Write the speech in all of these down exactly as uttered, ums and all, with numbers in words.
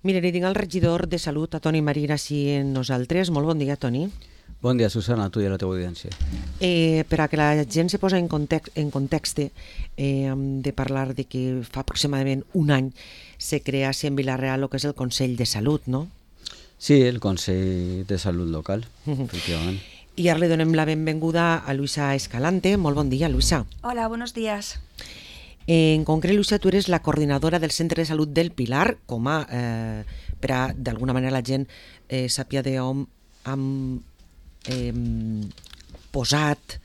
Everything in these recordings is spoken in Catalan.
Mira, li tinc el regidor de Salut, a Toni Marín, així en nosaltres. Molt bon dia, Toni. Bon dia, Susana, a tu i a la teva audiència. Eh, per a que la gent se posa en context, en context eh, hem de parlar de que fa aproximadament un any se crea en Vila-real el que és el Consell de Salut, no? Sí, el Consell de Salut Local, efectivament. I ara li donem la benvinguda a Luisa Escalante. Molt bon dia, Luisa. Hola, buenos días. En concret, Luisa, tu eres la coordinadora del Centre de Salut del Pilar, com a, eh, per a, d'alguna manera, la gent eh, sàpia d'on hem eh, posat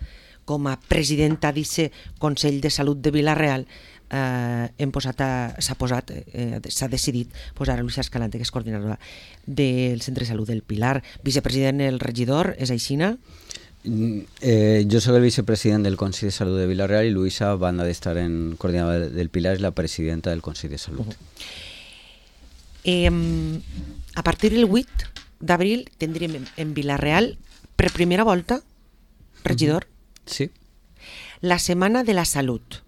com a presidenta d'aquest Consell de Salut de Vila-real. Eh, hem posat a, s'ha posat, eh, s'ha decidit posar a Luisa Escalante, que és coordinadora del Centre de Salut del Pilar. Vicepresident, el regidor, és aixina? Eh, yo soy el vicepresidente del Consejo de Salud de Vila-real y Luisa, banda de estar en coordinadora del Pilar, es la presidenta del Consejo de Salud. Uh-huh. eh, a partir del vuit d'abril tindrem en, en Vila-real, per primera volta, regidor, uh-huh. Sí. La Setmana de la Salut.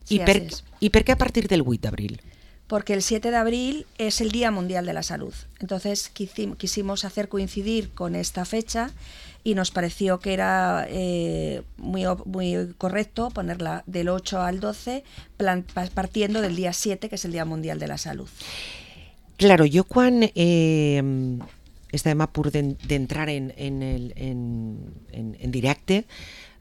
Sí, ¿Y, per, es. ¿Y por qué a partir del vuit d'abril? Porque el siete de abril es el Día Mundial de la Salud. Entonces quisimos hacer coincidir con esta fecha y nos pareció que era eh, muy, muy correcto ponerla del ocho al doce, plan, partiendo del día siete, que es el Día Mundial de la Salud. Claro, jo quan eh, estàvem a punt d'entrar en, en, el, en, en, en directe,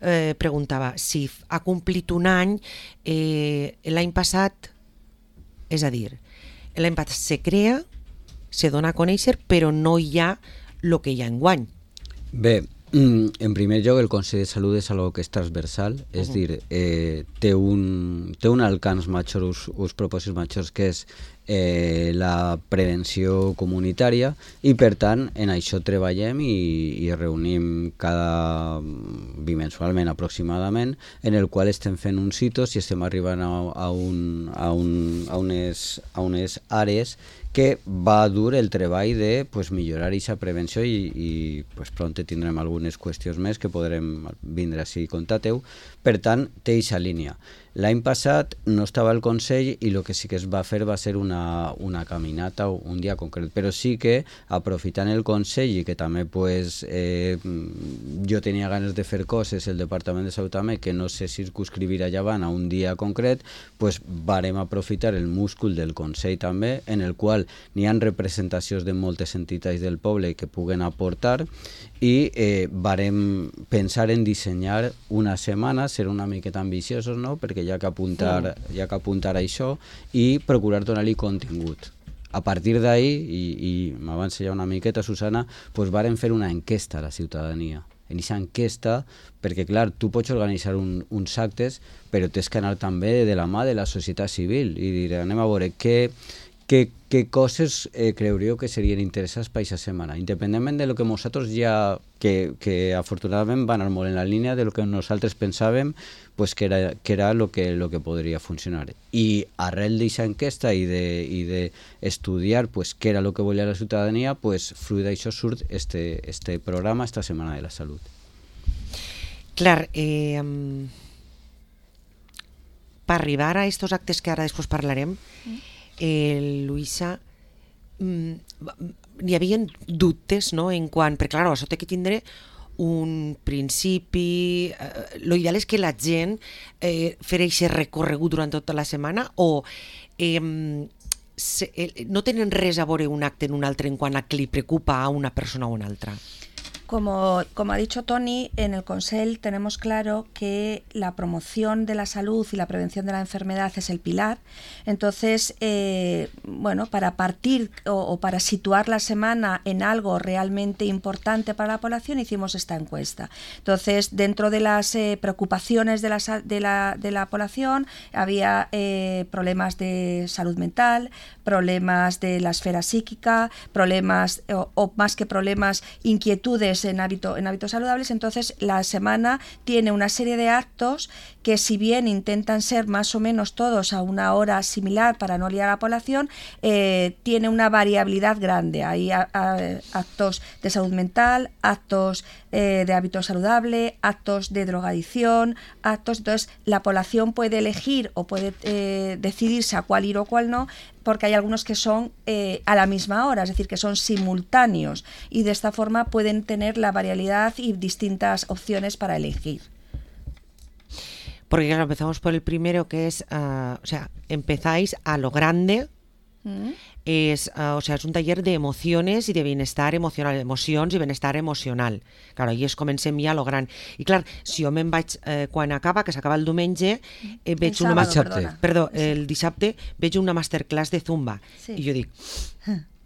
eh, preguntava si ha complit un any, eh, l'any passat, és a dir, l'any passat se crea, se dona a conèixer, però no hi ha el que hi ha enguany. Bé, en primer lloc, el Consell de Salut és algo que és transversal, és uh-huh. dir, eh, té, un, té un alcance major, uns, uns propòsits majors, que és eh, la prevenció comunitària, i per tant en això treballem i, i reunim cada bimensualment aproximadament, en el qual estem fent uns hitos i estem arribant a, a, un, a, un, a, unes, a unes àrees que va dur el treball de pues, millorar aquesta prevenció i, i pues, pront tindrem algunes qüestions més que podrem vindre així i contar-teu. Per tant, té aquesta línia. L'any passat no estava el Consell i el que sí que es va fer va ser una, una caminata un dia concret, però sí que aprofitant el Consell i que també pues, eh, jo tenia ganes de fer coses, el Departament de Salut també, que no se circunscrivira llevant a un dia concret, pues, varem aprofitar el múscul del Consell també, en el qual n'hi ha representacions de moltes entitats del poble que puguen aportar i eh, varem pensar en dissenyar una setmana, ser una miqueta ambiciosos, no? Perquè hi ha que apuntar, hi ha que apuntar a això i procurar donar-li contingut. A partir d'ahí, i, i m'avança ja una miqueta, Susana, pues varen fer una enquesta a la ciutadania. En aquesta enquesta, perquè clar, tu pots organitzar un, uns actes, però tens que anar també de la mà de la societat civil i dir, anem a veure què Què, què coses eh, creuríeu que serien interessants per aquesta setmana, independentment de lo que nosaltres ja, que, que afortunadament va anar molt en la línia de lo que nosaltres pensàvem pues, que era, que era lo, que, lo que podria funcionar. I arrel d'aquesta enquesta i d'estudiar de, pues, què era lo que volia la ciutadania, pues, fruit d'això surt este, este programa, esta Setmana de la Salut. Clar, eh, per arribar a estos actes que ara després parlarem, mm. Eh, Luisa, mm, hi havia dubtes, no?, en quant, perquè clar, això té que tindre un principi, eh, lo ideal és que la gent eh, fer aquest recorregut durant tota la setmana o eh, se, eh, no tenen res a veure un acte en un altre en quant a que li preocupa a una persona o una altra. Como, como ha dicho Toni, en el Consell tenemos claro que la promoción de la salud y la prevención de la enfermedad es el pilar. Entonces, eh, bueno, para partir o, o para situar la semana en algo realmente importante para la población, hicimos esta encuesta. Entonces, dentro de las eh, preocupaciones de la, de, la, de la población, había eh, problemas de salud mental, problemas de la esfera psíquica, problemas, o, o más que problemas, inquietudes en, hábito, en hábitos saludables. Entonces la semana tiene una serie de actos que, si bien intentan ser más o menos todos a una hora similar para no liar a la población, eh, tiene una variabilidad grande. Hay a, a, actos de salud mental, actos eh, de hábito saludable, actos de drogadicción, actos. Entonces la población puede elegir o puede eh, decidirse a cuál ir o cuál no, porque hay algunos que son eh, a la misma hora, es decir, que son simultáneos y de esta forma pueden tener la variabilidad y distintas opciones para elegir. Porque claro, empezamos por el primero, que es, uh, o sea, empezáis a lo grande. Mm. Es, uh, o sea, és un taller d'emocions i de benestar emocional, emocions i benestar emocional. Claro, i es comencem ja a lo gran. I clar, si jo me'n vaig, eh, quan acaba, que s'acaba el diumenge, eh, veig el una sábado, ma- perdó, el dissabte veig una masterclass de Zumba. Sí. I jo dic,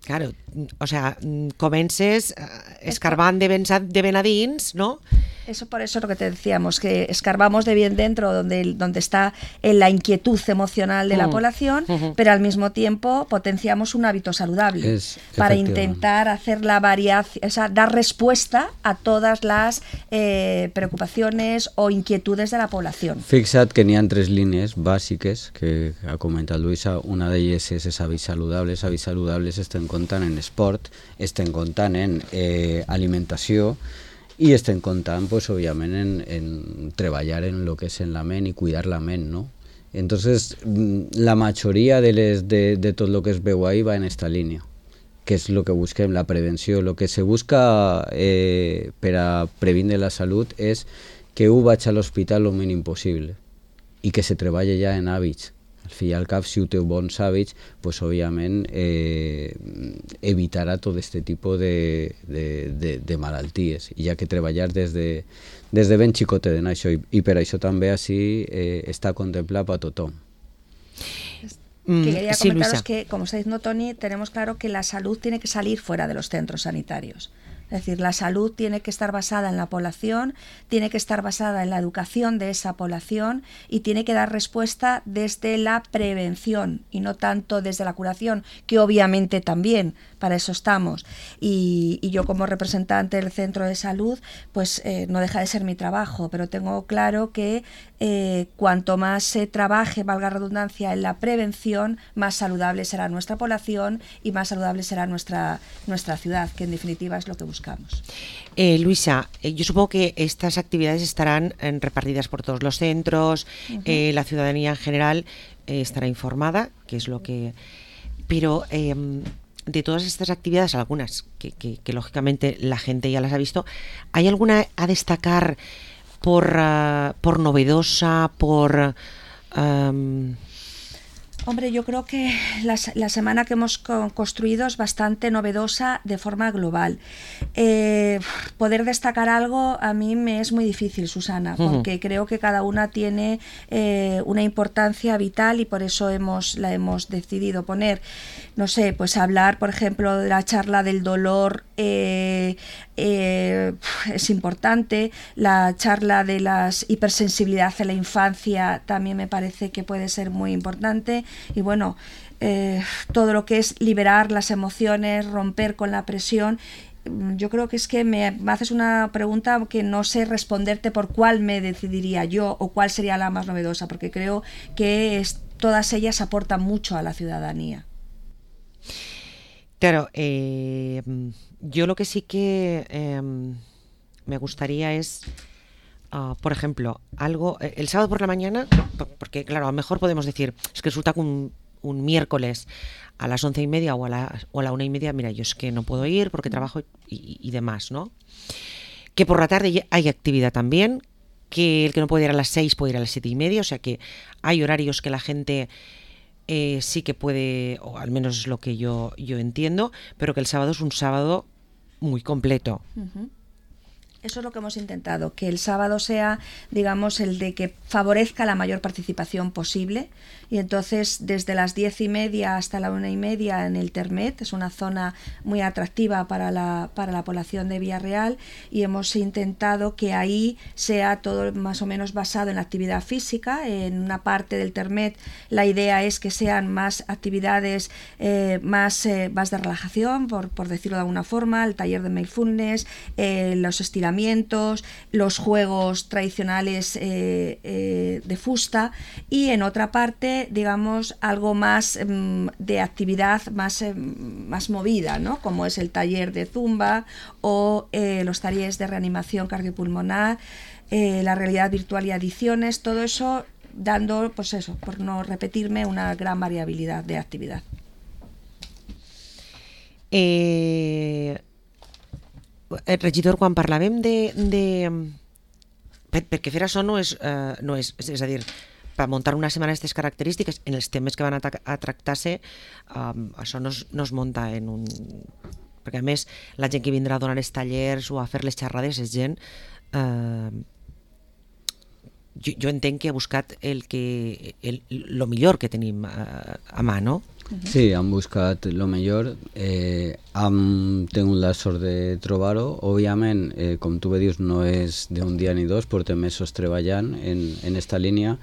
claro, o sea, comences eh, escarbant de ben, de ben a dins, no? Eso por eso es lo que te decíamos, que escarbamos de bien dentro donde, donde está en la inquietud emocional de la Mm. población, Ujú. pero al mismo tiempo potenciamos un hábito saludable Es, para efectivamente. intentar hacer la variación, o sea, dar respuesta a todas las eh, preocupaciones o inquietudes de la población. Fixa't que n'hi ha tres línies bàsiques que ha comentat Luisa. Una d'elles és els hàbits saludables. Hàbits saludables estem comptant en esport, estem comptant en eh, alimentació i estem comptant, pues, òbviament, en, en treballar en lo que és en la ment i cuidar la ment, ¿no? Entonces, la majoria de, les, de, de tot lo que es veu ahí va en esta línia, que és lo que busquem, la prevenció. Lo que se busca eh, per a previndre la salut és que un vaig a l'hospital el mínim possible i que se treballa ja en hàbits. Al fi i al cap, si ho té bons hàbits, pues, òbviament eh, evitarà tot aquest tipus de, de, de, de malalties. I hi ha que treballar des de, des de ben xicotet en això, i, i per això també així eh, està contemplat per tothom. Que quería sí, comentaros Luisa. que, como está diciendo Toni, tenemos claro que la salud tiene que salir fuera de los centros sanitarios. Es decir, la salud tiene que estar basada en la población, tiene que estar basada en la educación de esa población y tiene que dar respuesta desde la prevención y no tanto desde la curación, que obviamente también, para eso estamos. Y, y yo como representante del centro de salud, pues eh, no deja de ser mi trabajo, pero tengo claro que eh, cuanto más se trabaje, valga la redundancia, en la prevención, más saludable será nuestra población y más saludable será nuestra, nuestra ciudad, que en definitiva es lo que buscamos. Eh, Luisa, eh, yo supongo que estas actividades estarán eh, repartidas por todos los centros, uh-huh. eh, la ciudadanía en general eh, estará informada, que es lo que... Pero eh, de todas estas actividades, algunas que, que, que lógicamente la gente ya las ha visto, ¿hay alguna a destacar por, uh, por novedosa, por... Um, Hombre, yo creo que la, la semana que hemos co construido es bastante novedosa de forma global. Eh, poder destacar algo a mí me es muy difícil, Susana, porque uh-huh. creo que cada una tiene eh, una importancia vital y por eso hemos la hemos decidido poner. No sé, pues hablar, por ejemplo, de la charla del dolor eh, eh, es importante. La charla de la hipersensibilidad en la infancia también me parece que puede ser muy importante. Y bueno, eh, todo lo que es liberar las emociones, romper con la presión. Yo creo que es que me, me haces una pregunta que no sé responderte por cuál me decidiría yo o cuál sería la más novedosa, porque creo que es, todas ellas aportan mucho a la ciudadanía. Claro, eh, yo lo que sí que eh, me gustaría es, uh, por ejemplo, algo, eh, el sábado por la mañana, porque claro, a lo mejor podemos decir, es que resulta que un, un miércoles a las once y media o a la, o a la una y media, mira, yo es que no puedo ir porque trabajo y, y demás, ¿no? Que por la tarde hay actividad también, que el que no puede ir a las seis puede ir a las siete y media, o sea que hay horarios que la gente... Eh, sí que puede, o al menos es lo que yo, yo entiendo, pero que el sábado es un sábado muy completo. Uh-huh. Eso es lo que hemos intentado, que el sábado sea, digamos, el de que favorezca la mayor participación posible. Y entonces, desde las diez y media hasta la una y media en el Termet, es una zona muy atractiva para la, para la población de Villarreal, y hemos intentado que ahí sea todo más o menos basado en la actividad física. En una parte del Termet la idea es que sean más actividades eh, más, eh, más de relajación, por, por decirlo de alguna forma, el taller de mindfulness, eh, los estiramientos, los juegos tradicionales eh, eh, de fusta, y en otra parte, digamos, algo más eh, de actividad más, eh, más movida, ¿no? Como es el taller de zumba o eh, los talleres de reanimación cardiopulmonar, eh, la realidad virtual y adicciones, todo eso dando, pues eso, por no repetirme, una gran variabilidad de actividad. Eh, eh, regidor, quan parlàvem de... de per, perquè fer això no és, uh, no és, és a dir, per muntar una setmana d'aquestes característiques, en els temes que van a, a tractar-se, um, això no es, no es munta en un... Perquè a més, la gent que vindrà a donar els tallers o a fer les xerrades és gent... Uh, jo, jo entenc que ha buscat el que el, lo millor que tenim a, a mà, no? Sí, han buscat lo millor, eh, hem tingut la sort de trobar-ho. Òbviament, eh, com tu bé dius, no és d'un dia ni dos, portem mesos treballant en, en esta línia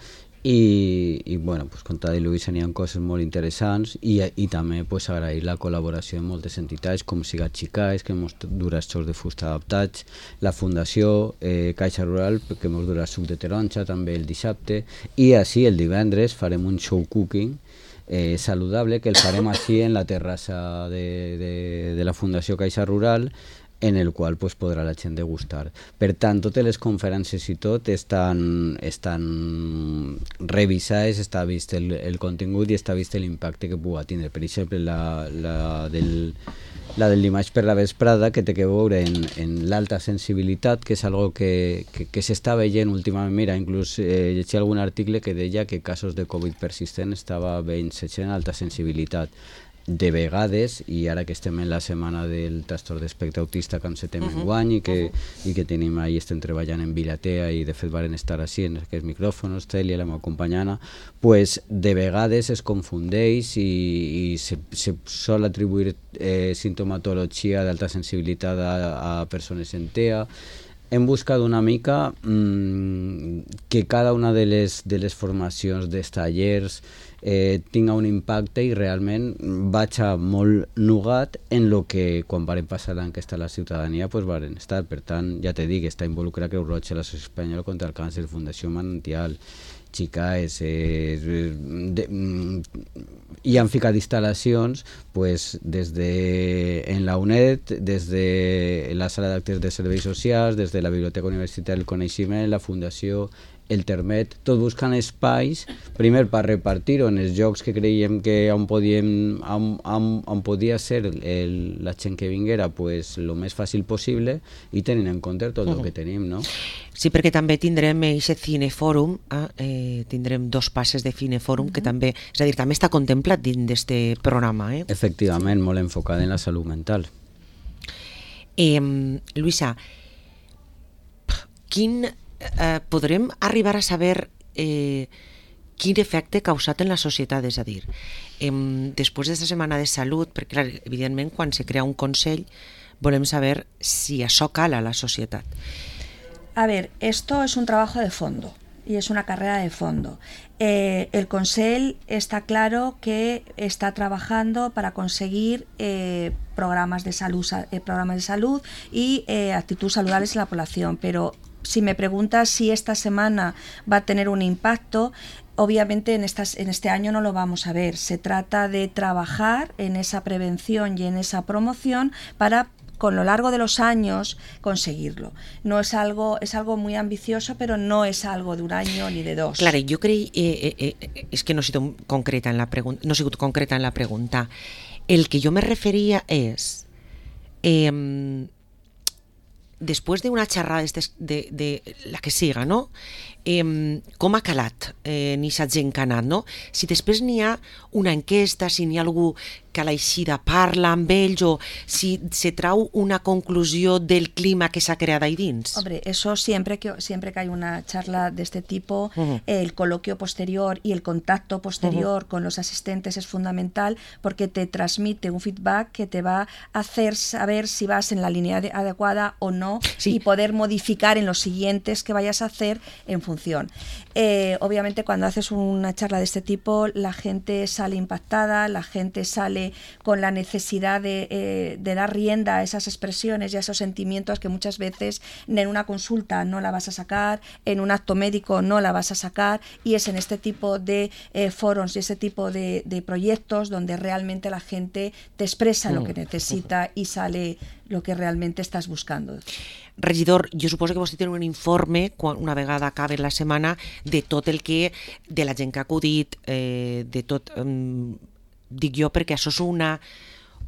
i, i bueno, pues, com t'ha dit Luisa, n'hi ha coses molt interessants i, i també pues, agrair la col·laboració de moltes entitats com Siga Xicais, que ens dura xors de fusta adaptats, la Fundació eh, Caixa Rural, que ens dura suc de taronja també el dissabte, i així el divendres farem un show cooking Eh, saludable que el farem així en la terrassa de, de, de la Fundació Caixa Rural, en el qual pues, podrà la gent degustar. Per tant, totes les conferències i tot estan, estan revisades, està vist el, el contingut i està vist l'impacte que pugui tindre. Per exemple, la, la del la del dimarts per la vesprada, que té que veure en, en l'alta sensibilitat, que és algo que, que, que s'està veient últimament. Mira, inclús eh, llegia algun article que deia que casos de Covid persistent estava veient-se en alta sensibilitat. De vegades, i ara que estem en la setmana del trastorn d'espectre autista que encetem en guany i que, i que tenim ahí, estem treballant en Viratea i de fet varen estar així en aquests micròfons, Cèlia, la meva companyana, pues de vegades es confundeix i, i se, se sol atribuir eh, sintomatologia d'alta sensibilitat a, a persones en T E A. Hem buscat una mica mmm, que cada una de les, de les formacions dels tallers eh, tinga un impacte i realment vaig a molt nugat en lo que quan varen passar l'enquesta a la ciutadania pues varen estar. Per tant, ja te dic, està involucrat Creu Roja, l'Associació Espanyola contra el Càncer, Fundació Manantial, Xicais, eh, de, i han ficat instal·lacions pues, des de en la UNED, des de la sala d'actes de serveis socials, des de la Biblioteca Universitària del Coneixement, la Fundació, el Termet, tot buscant espais, primer per repartir-ho en els llocs que creiem que on, podíem, on, on, on podia ser el, la gent que vinguera pues, el més fàcil possible i tenint en compte tot el uh-huh. que tenim, no? Sí, perquè també tindrem aquest cinefòrum, eh, tindrem dos passes de cinefòrum uh-huh. que també, és a dir, també està contemplat dins d'aquest programa. Eh? Efectivament, molt enfocat en la salut mental. Eh, Luisa, quin... Eh, podrem arribar a saber eh, quin efecte ha causat en la societat, és a dir, eh, després d'aquesta setmana de salut, perquè clar, evidentment quan se crea un consell volem saber si això cala a la societat. A ver, esto es un trabajo de fondo y es una carrera de fondo. Eh, el Consell está claro que está trabajando para conseguir eh, programas de salud, eh, programas de salud y eh, actitudes saludables en la población, pero si me preguntas si esta semana va a tener un impacto, obviamente en, estas, en este año no lo vamos a ver. Se trata de trabajar en esa prevención y en esa promoción para con lo largo de los años conseguirlo. No es algo, es algo muy ambicioso, pero no es algo de un año ni de dos. Claro, yo creí, eh, eh, eh, es que no he sido concreta en la pregunta, no he sido concreta en la pregunta. El que yo me refería es eh, després d'una xerrada de, de la que siga, no? Eh, com ha calat eh, ni s'ha gent que ha anat, no? Si després n'hi ha una enquesta, si n'hi ha algú que a l'eixida parla amb ells o si se trau una conclusió del clima que s'ha creat ahí dins. Hombre, eso siempre que, siempre que hay una charla de este tipo, uh-huh. el coloquio posterior y el contacto posterior uh-huh. con los asistentes es fundamental porque te transmite un feedback que te va a hacer saber si vas en la línea de, adecuada o no sí. y poder modificar en los siguientes que vayas a hacer en función. Eh, obviamente cuando haces una charla de este tipo la gente sale impactada, la gente sale con la necesidad de, eh, de dar rienda a esas expresiones y a esos sentimientos que muchas veces en una consulta no la vas a sacar, en un acto médico no la vas a sacar y es en este tipo de eh, foros y ese tipo de, de proyectos donde realmente la gente te expresa lo que necesita y sale lo que realmente estás buscando. Regidor, jo suposo que vostè té un informe, quan una vegada acabi la setmana, de tot el que, de la gent que ha acudit, eh, de tot, eh, dic jo, perquè això és una,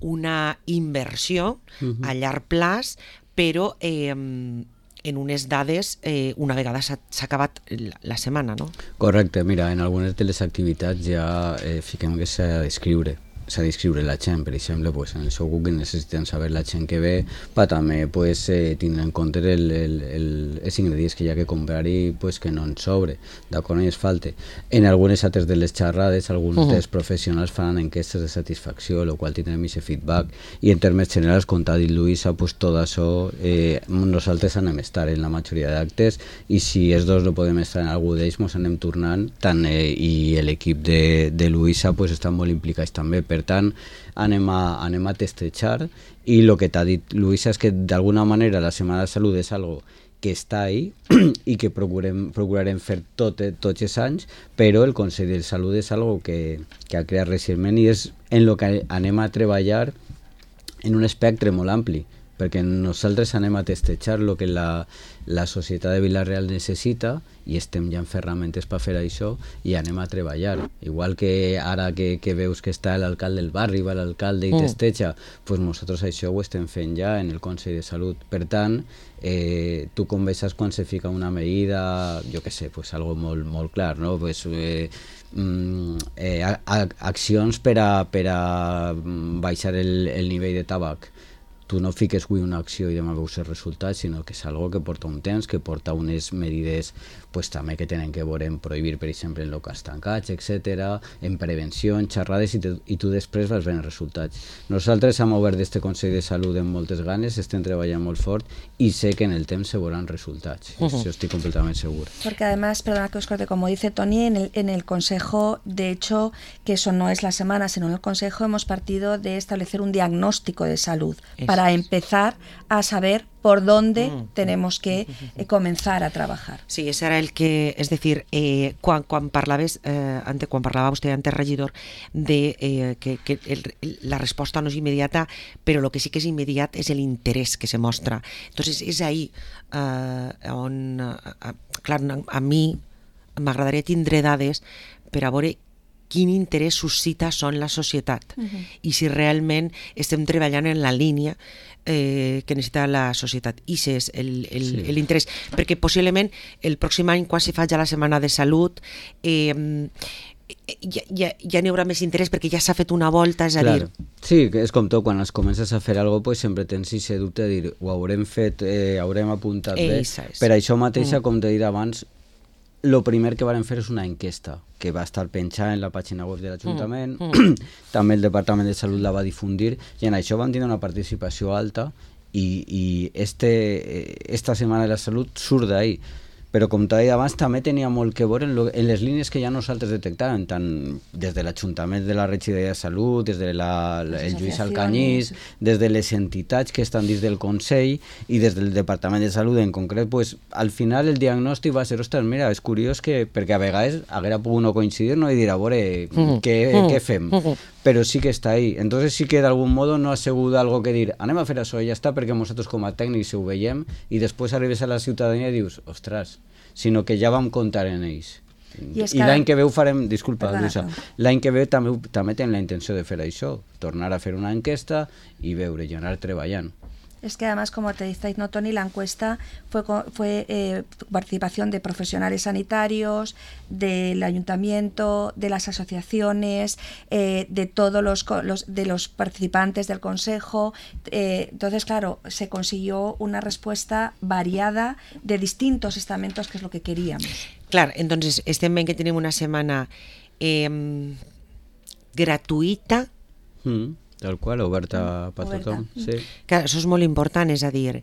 una inversió uh-huh. a llarg plaç, però eh, en unes dades eh, una vegada s'ha, s'ha acabat la, la setmana, no? Correcte, mira, en algunes de les activitats ja eh, fiquem que s'ha d'escriure. s'ha d'inscriure la gent, per exemple, pues, en el seu Google necessiten saber la gent que ve, per també pues, eh, tindre en compte el, el, el, els ingredients que hi ha que comprar i pues, que no en sobre, d'acord, no hi es falte. En algunes altres de les xerrades, alguns uh-huh. dels professionals faran enquestes de satisfacció, el qual tindrem aquest feedback, i en termes generals, com t'ha dit Luisa, pues, tot això eh, nosaltres anem a estar en la majoria d'actes, i si els dos no podem estar en algú d'ells, ens anem tornant, tant, eh, i l'equip de, de Luisa pues, estan molt implicats també. Per tant, anem a, anem a testejar, i el que t'ha dit Luisa és que d'alguna manera la Setmana de Salut és algo que està ahí i que procurem, procurarem fer tot, tots els anys, però el Consell de Salut és algo que, que ha creat recentment i és en el que anem a treballar en un espectre molt ampli, perquè nosaltres anem a testejar el que la, la societat de Vila-real necessita i estem ja en ferramentes per fer això i anem a treballar. Igual que ara que, que veus que està l'alcalde del barri, va l'alcalde i testeja, pues nosaltres això ho estem fent ja en el Consell de Salut. Per tant, eh, tu com veus quan se fica una medida, jo què sé, pues algo molt, molt clar, no? Pues, eh, mm, eh, a, a, accions per a, per a baixar el, el nivell de tabac. Tu no fiques avui una acció i demà veus els resultats, sinó que és algo que porta un temps, que porta unes medides pues, també que tenen que veure en prohibir, per exemple, en locals tancats, etcètera, en prevenció, en xerrades, i, te, i tu després vas veure resultats. Nosaltres hem obert d'este Consell de Salut amb moltes ganes, estem treballant molt fort i sé que en el temps se veuran resultats. Uh-huh. Eso estoy completamente seguro. Porque además, perdona que os corte, como dice Toni, en el, en el Consejo, de hecho, que eso no es la semana, sino en el Consejo hemos partido de establecer un diagnóstico de salud Eso. para empezar a saber por dónde mm. tenemos que eh, comenzar a trabajar. Sí, ese era el que, es decir, eh, quan, quan parlaves, eh, antes, quan parlava vostè antes, regidor, de eh, que, que el, la resposta no és immediata, però el que sí que és immediat és l'interès que se mostra. Entonces, és ahí eh, on, eh, clar, a mi m'agradaria tindre dades per a veure quin interès suscita són la societat uh-huh. i si realment estem treballant en la línia eh, que necessita la societat. I ese és el, el, sí. l'interès, perquè possiblement el pròxim any, quan se faci la Setmana de Salut, eh, ja, ja, ja n'hi haurà més interès perquè ja s'ha fet una volta, és a claro. dir... Sí, és com tot, quan es comences a fer alguna cosa, pues, sempre tens aquest dubte de dir, ho haurem fet, eh, haurem apuntat bé. Per això mateixa, mm. com t'he dit abans, el primer que vam fer és una enquesta que va estar penjada en la pàgina web de l'Ajuntament, mm, mm. també el Departament de Salut la va difundir, i en això vam tenir una participació alta, i, i este, esta Setmana de la Salut surt d'ahí. Però com t'he dit abans, també tenia molt que veure en, lo, en les línies que ja nosaltres detectàvem, tant des de l'Ajuntament de la Regidoria de Salut, des de la, la, el Lluís Alcanyís, des de les entitats que estan dins del Consell i des del Departament de Salut en concret, pues, al final el diagnòstic va ser, ostres, mira, és curiós que, perquè a vegades haguera pogut no coincidir, no, i dir, a veure, mm. què, mm. què fem? Mm. Però sí que està ahí. Entonces sí que d'algun modo no ha sigut algo que dir, anem a fer això i ja està, perquè nosaltres com a tècnics ho veiem, i després arribes a la ciutadania i dius, ostres, sinó que ja vam comptar en ells. I, I l'any que ve ho farem, disculpa, Luisa, l'any que ve també, també tenim la intenció de fer això, tornar a fer una enquesta i veure, i anar treballant. Es que además, como te dice, ¿no, Toni? La encuesta fue, fue eh, participación de profesionales sanitarios, del ayuntamiento, de las asociaciones, eh, de todos los, los, de los participantes del consejo. Eh, entonces, claro, se consiguió una respuesta variada de distintos estamentos, que es lo que queríamos. Claro, entonces, estem veient que tenim una setmana eh, gratuïta. Mm. Tal qual, oberta per tothom. Sí. Que això és molt important, és a dir,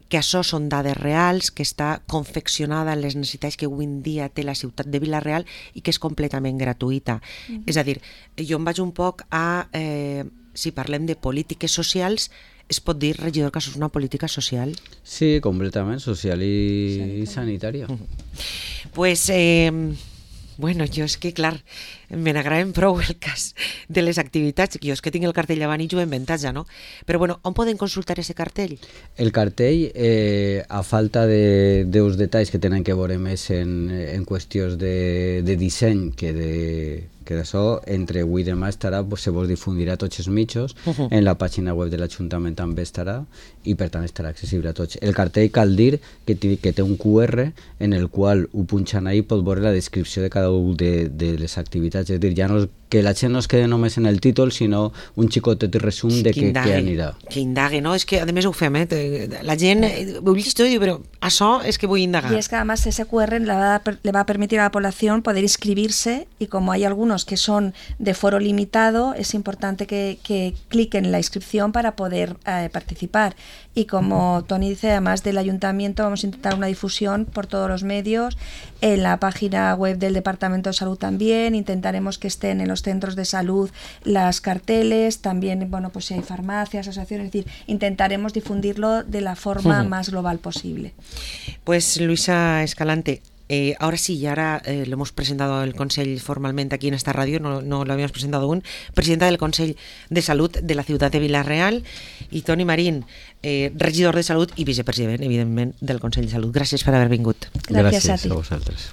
que això són dades reals, que està confeccionada en les necessitats que avui en dia té la ciutat de Vila-real i que és completament gratuïta. Mm-hmm. És a dir, jo em vaig un poc a, eh, si parlem de polítiques socials, es pot dir, regidor, que això és una política social? Sí, completament, social i sanitària. Mm-hmm. Pues... Eh, Bueno, jo és que, clar, me n'agraden prou el cas de les activitats. Jo és que tinc el cartell davant i jo he inventat ja, no? Però, bueno, on poden consultar ese cartell? El cartell, eh, a falta de deus detalls que tenen que veure més en, en qüestions de, de disseny que de, que això entre avui i demà estarà, pues, se vos difundirà a tots els mitjos, Uh -huh. en la pàgina web de l'Ajuntament també estarà, i per tant estarà accessible a tots. El cartell cal dir que, que té un Q R en el qual ho punxant ahí pot veure la descripció de cada una de, de les activitats, és a dir, ja no, que la gent no es quede només en el títol, sinó un xicotet resum sí, de què anirà. Que indague, no? És que a més ho fem, eh? La gent ho llegeix i diu, però això és que vull indagar. Y es que además ese Q R le va, a, le va a permitir a la población poder inscribirse, y como hay algunos que son de foro limitado, es importante que, que cliquen en la inscripción para poder eh, participar. Y como Toni dice, además del ayuntamiento, vamos a intentar una difusión por todos los medios, en la página web del Departamento de Salud también, intentaremos que estén en los centros de salud las carteles, también, bueno, pues si hay farmacias, asociaciones, es decir, intentaremos difundirlo de la forma uh-huh. más global posible. Pues Luisa Escalante, Eh, ahora sí, y ahora eh, lo hemos presentado el Consell formalmente aquí en esta radio, no, no lo habíamos presentado aún, presidenta del Consell de Salud de la ciutat de Vila-real, i Toni Marín, eh, regidor de Salut i vicepresident, evidentment, del Consell de Salut. Gràcies per haver vingut. Gràcies, Gràcies a, a vosaltres.